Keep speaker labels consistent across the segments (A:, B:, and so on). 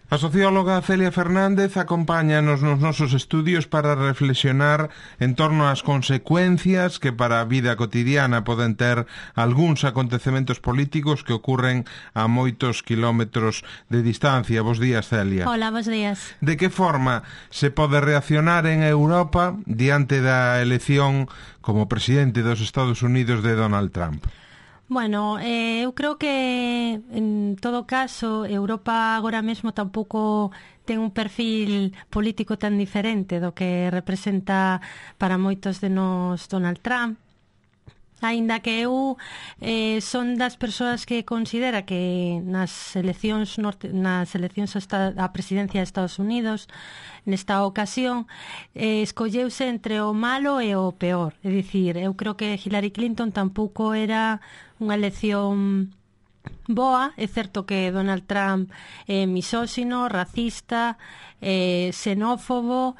A: A socióloga Celia Fernández acompáñanos nos nosos estudios para reflexionar en torno ás consecuencias que para a vida cotidiana poden ter algúns acontecementos políticos que ocurren a moitos quilómetros de distancia. Bos días, Celia.
B: Hola, bos días.
A: De que forma se pode reaccionar en Europa diante da elección como presidente dos Estados Unidos de Donald Trump?
B: Bueno, eu creo que en todo caso Europa agora mesmo tampouco ten un perfil político tan diferente do que representa para moitos de nós Donald Trump. Aínda que eu son das persoas que considera que nas eleccións a presidencia de Estados Unidos nesta ocasión escolleuse entre o malo e o peor. É dicir, eu creo que Hillary Clinton tampouco era unha elección boa. É certo que Donald Trump é misóxino, racista, xenófobo,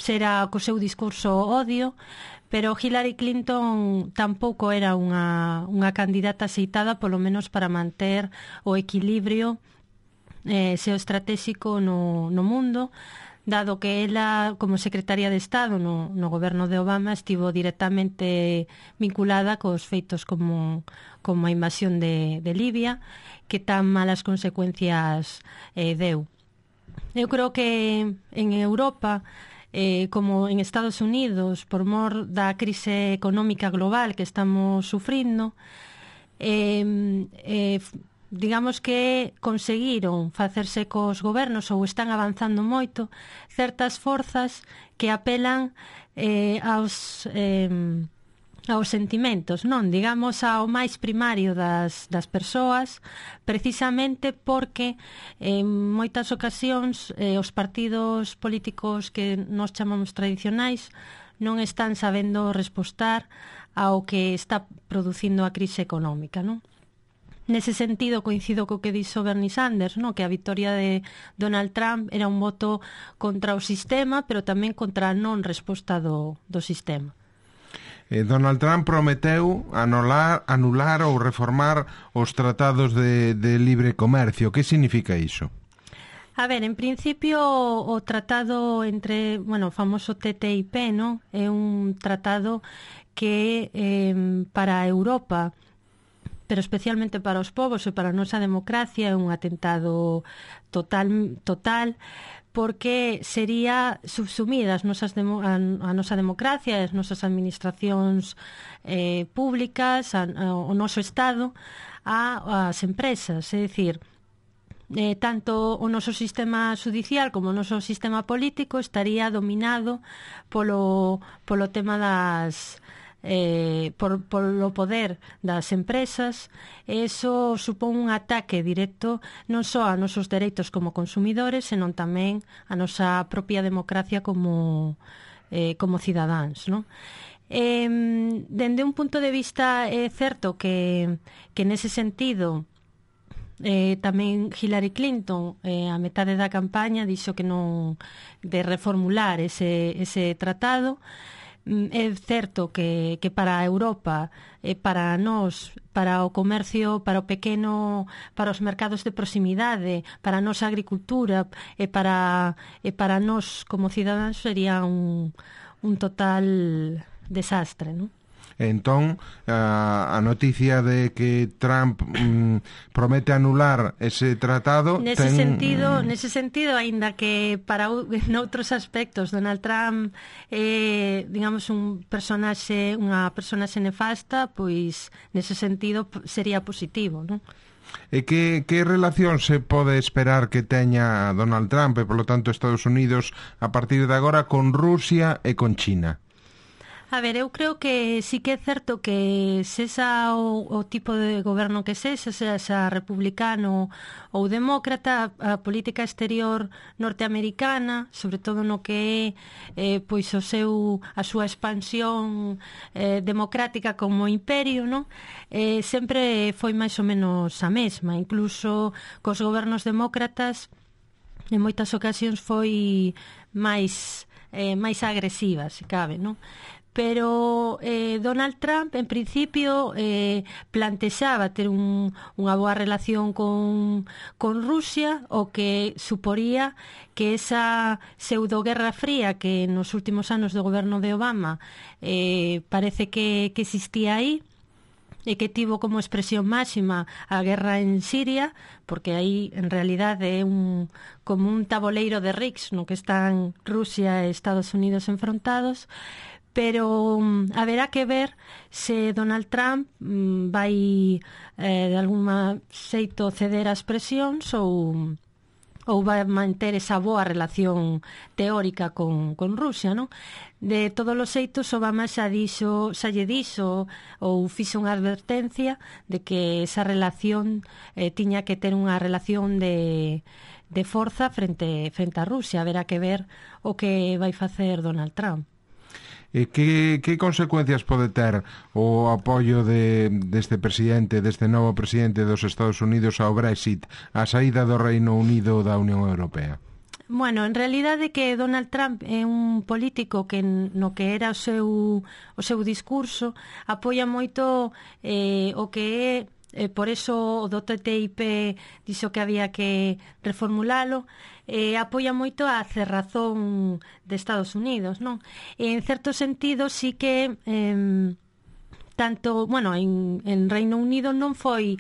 B: será co seu discurso odio, pero Hillary Clinton tampouco era unha candidata aceitada, polo menos para manter o equilibrio xeoestratéxico no mundo, dado que ela, como secretaria de Estado no goberno de Obama, estivo directamente vinculada cos feitos como a invasión de Libia, que tan malas consecuencias deu. Eu creo que en Europa, como en Estados Unidos, por mor da crise económica global que estamos sufrindo, digamos que conseguiron facerse cos gobernos ou están avanzando moito certas forzas que apelan aos sentimentos, non? Digamos, ao máis primario das persoas, precisamente porque en moitas ocasións os partidos políticos que nós chamamos tradicionais non están sabendo respostar ao que está producindo a crise económica, non? Nese sentido, coincido co que dixo Bernie Sanders, no? Que a victoria de Donald Trump era un voto contra o sistema, pero tamén contra a non resposta do sistema.
A: Donald Trump prometeu anular ou reformar os tratados de libre comercio. Que significa iso?
B: A ver, en principio o tratado entre, o famoso TTIP, ¿no? É un tratado que para a Europa, pero especialmente para os povos e para a nosa democracia, é un atentado total, porque sería subsumir a nosa democracia, as nosas administracións públicas, o noso Estado, ás empresas. É dicir, tanto o noso sistema judicial como o noso sistema político estaría dominado polo tema das... polo poder das empresas. Eso supón un ataque directo non só a nosos dereitos como consumidores, senón tamén a nosa propia democracia como cidadáns, non? Dende un punto de vista é certo que nese sentido tamén Hillary Clinton a metade da campaña dixo que non de reformular ese tratado. É certo que para a Europa, para nós, para o comercio, para o pequeno, para os mercados de proximidade, para a nosa agricultura e para nós como cidadáns sería un total desastre, non?
A: Entón, a noticia de que Trump promete anular ese tratado...
B: Nese sentido, aínda que para noutros aspectos Donald Trump é, digamos, unha personaxe nefasta, pois nese sentido sería positivo, non?
A: E que relación se pode esperar que teña Donald Trump e, polo tanto, Estados Unidos a partir de agora con Rusia e con China?
B: A ver, eu creo que sí que é certo que sexa o tipo de goberno que sexa republicano ou demócrata, a política exterior norteamericana, sobre todo no que é pois a súa expansión democrática como imperio, non? Sempre foi máis ou menos a mesma, incluso cos gobernos demócratas en moitas ocasións foi máis agresiva, se cabe, non? pero Donald Trump en principio plantexaba ter unha boa relación con Rusia, o que suporía que esa pseudoguerra fría que nos últimos anos do goberno de Obama parece que existía aí, e que tivo como expresión máxima a guerra en Siria, porque aí en realidade é como un taboleiro de Riggs no que están Rusia e Estados Unidos enfrontados. Pero haberá que ver se Donald Trump vai de alguma xeito ceder as presións ou vai manter esa boa relación teórica con Rusia, non? De todos os xeitos, Obama xa lle dixo ou fixo unha advertencia de que esa relación tiña que ter unha relación de forza frente a Rusia. Haberá que ver o que vai facer Donald Trump.
A: E que consecuencias pode ter o apoio deste novo presidente dos Estados Unidos ao Brexit, a saída do Reino Unido da Unión Europea?
B: Bueno, en realidade que Donald Trump é un político que no que era o seu discurso apoia moito o que é, por eso o do TTIP dixo que había que reformulalo, apoia moito a cerrazón de Estados Unidos, non? En certo sentido sí que tanto, bueno, en Reino Unido non foi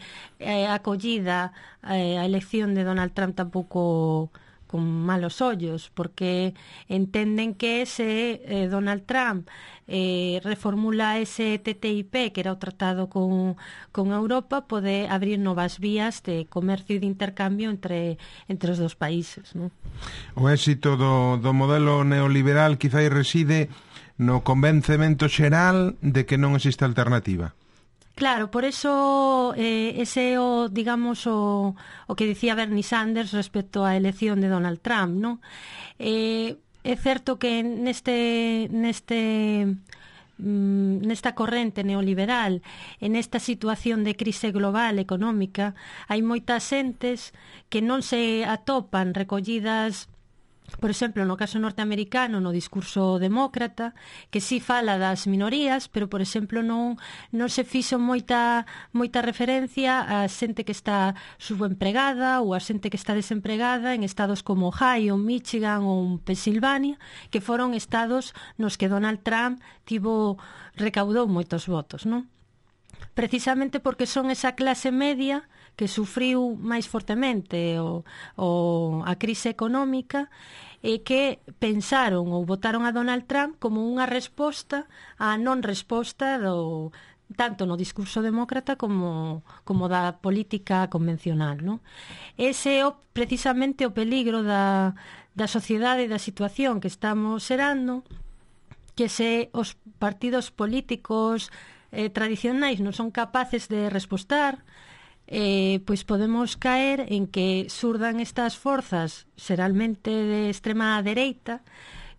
B: acollida a elección de Donald Trump tampouco con malos ollos, porque entenden que se Donald Trump reformula ese TTIP, que era o tratado con Europa, pode abrir novas vías de comercio e de intercambio entre os dos países, non?
A: O éxito do modelo neoliberal quizá reside no convencemento xeral de que non existe alternativa.
B: Claro, por eso ese é o, digamos, o que dicía Bernie Sanders respecto á elección de Donald Trump, non? É certo que nesta corrente neoliberal, en esta situación de crise global económica, hai moitas xentes que non se atopan recollidas, por exemplo, no caso norteamericano, no discurso demócrata, que sí fala das minorías, pero, por exemplo, non se fixo moita referencia a xente que está subempregada ou a xente que está desempregada en estados como Ohio, Michigan ou Pensilvania, que foron estados nos que Donald Trump recaudou moitos votos, non? Precisamente porque son esa clase media que sufriu máis fortemente a crise económica e que pensaron ou votaron a Donald Trump como unha resposta á non resposta tanto no discurso demócrata como da política convencional, non? Ese é precisamente o peligro da sociedade e da situación que estamos xerando, que se os partidos políticos tradicionais non son capaces de respostar, pois podemos caer en que surdan estas forzas xeralmente de extrema dereita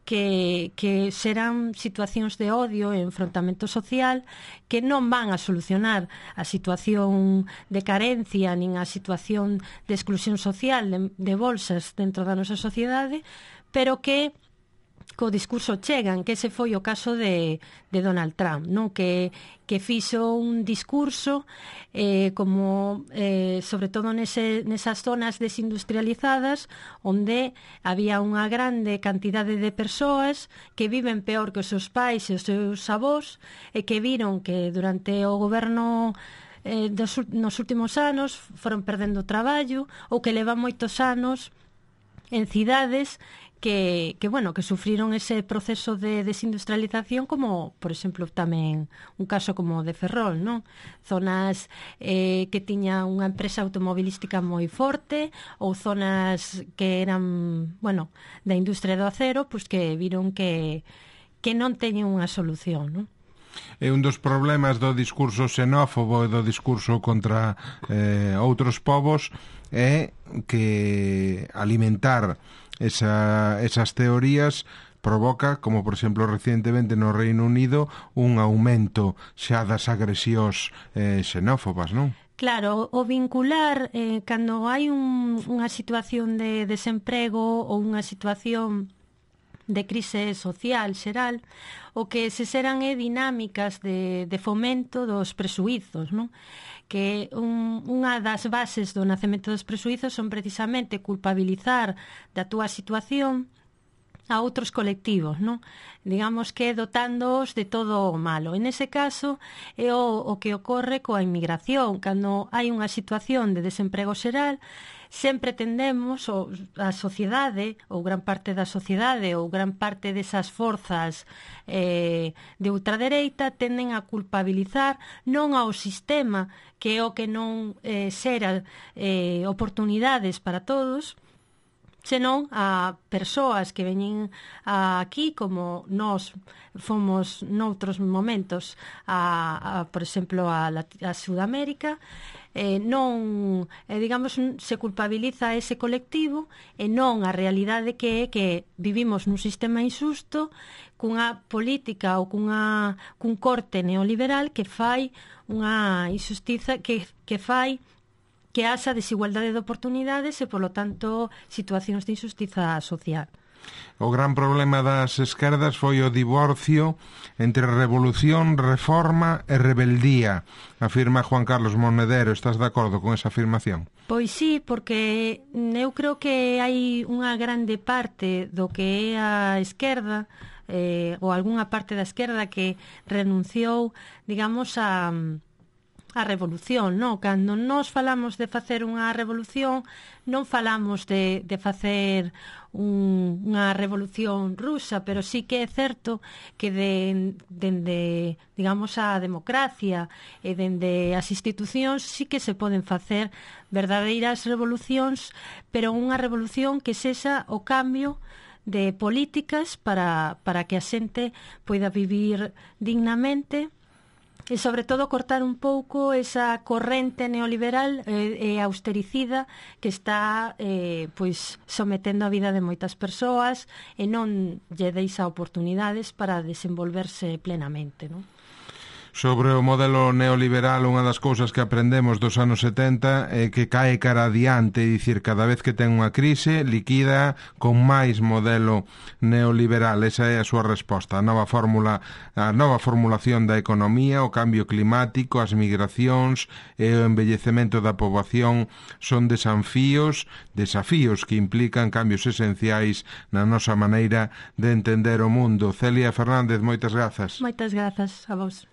B: que serán situacións de odio e enfrontamento social que non van a solucionar a situación de carencia nin a situación de exclusión social de bolsas dentro da nosa sociedade, pero que co discurso chegan, que ese foi o caso de Donald Trump, non? Que fixo un discurso como sobre todo nesas zonas desindustrializadas onde había unha grande cantidade de persoas que viven peor que os seus pais e os seus avós e que viron que durante o goberno nos últimos anos foron perdendo traballo ou que levan moitos anos en cidades que sufriron ese proceso de desindustrialización, como, por exemplo, tamén un caso como de Ferrol, non? Zonas que tiña unha empresa automobilística moi forte ou zonas que eran, da industria do acero, pois que viron que non teñen unha solución, non?
A: É un dos problemas do discurso xenófobo e do discurso contra outros povos é que alimentar esas teorías provoca, como por exemplo recientemente no Reino Unido, un aumento xa das agresións xenófobas, non?
B: Claro, o vincular cando hai unha situación de desemprego ou unha situación crise social xeral, o que se xeran é dinámicas de fomento dos presuízos, non? Que unha das bases do nacemento dos presuízos son precisamente culpabilizar da túa situación a outros colectivos, non? Digamos que dotándoos de todo o malo. En ese caso é o que ocorre coa inmigración. Cando hai unha situación de desemprego xeral, sempre tendemos, a sociedade, ou gran parte da sociedade, ou gran parte desas forzas de ultradereita, tenden a culpabilizar non ao sistema, que é o que non xera oportunidades para todos, senón a persoas que veñen aquí, como nós fomos noutros momentos por exemplo, a Sudamérica, digamos, se culpabiliza a ese colectivo e non a realidade que é que vivimos nun sistema injusto, cunha política ou cun corte neoliberal que fai unha injustiza que fai que haxa desigualdade de oportunidades e, polo tanto, situacións de injustiza social.
A: O gran problema das esquerdas foi o divorcio entre revolución, reforma e rebeldía, afirma Juan Carlos Monedero. Estás de acordo con esa afirmación?
B: Pois sí, porque eu creo que hai unha grande parte do que é a esquerda, ou algunha parte da esquerda que renunciou, digamos, a revolución, non? Cando nós falamos de facer unha revolución, non falamos de facer unha revolución rusa, pero sí que é certo que dende, digamos, a democracia e dende as institucións sí que se poden facer verdadeiras revolucións, pero unha revolución que sexa o cambio de políticas para que a xente poida vivir dignamente e, sobre todo, cortar un pouco esa corrente neoliberal e austericida que está pois sometendo a vida de moitas persoas e non lle deixa oportunidades para desenvolverse plenamente, non?
A: Sobre o modelo neoliberal, unha das cousas que aprendemos dos anos 70 é que cae cara adiante, é dicir, cada vez que ten unha crise, liquida con máis modelo neoliberal. Esa é a súa resposta. A nova formulación da economía, o cambio climático, as migracións e o envellecemento da poboación son desafíos que implican cambios esenciais na nosa maneira de entender o mundo. Celia Fernández, moitas grazas.
B: Moitas grazas a vos.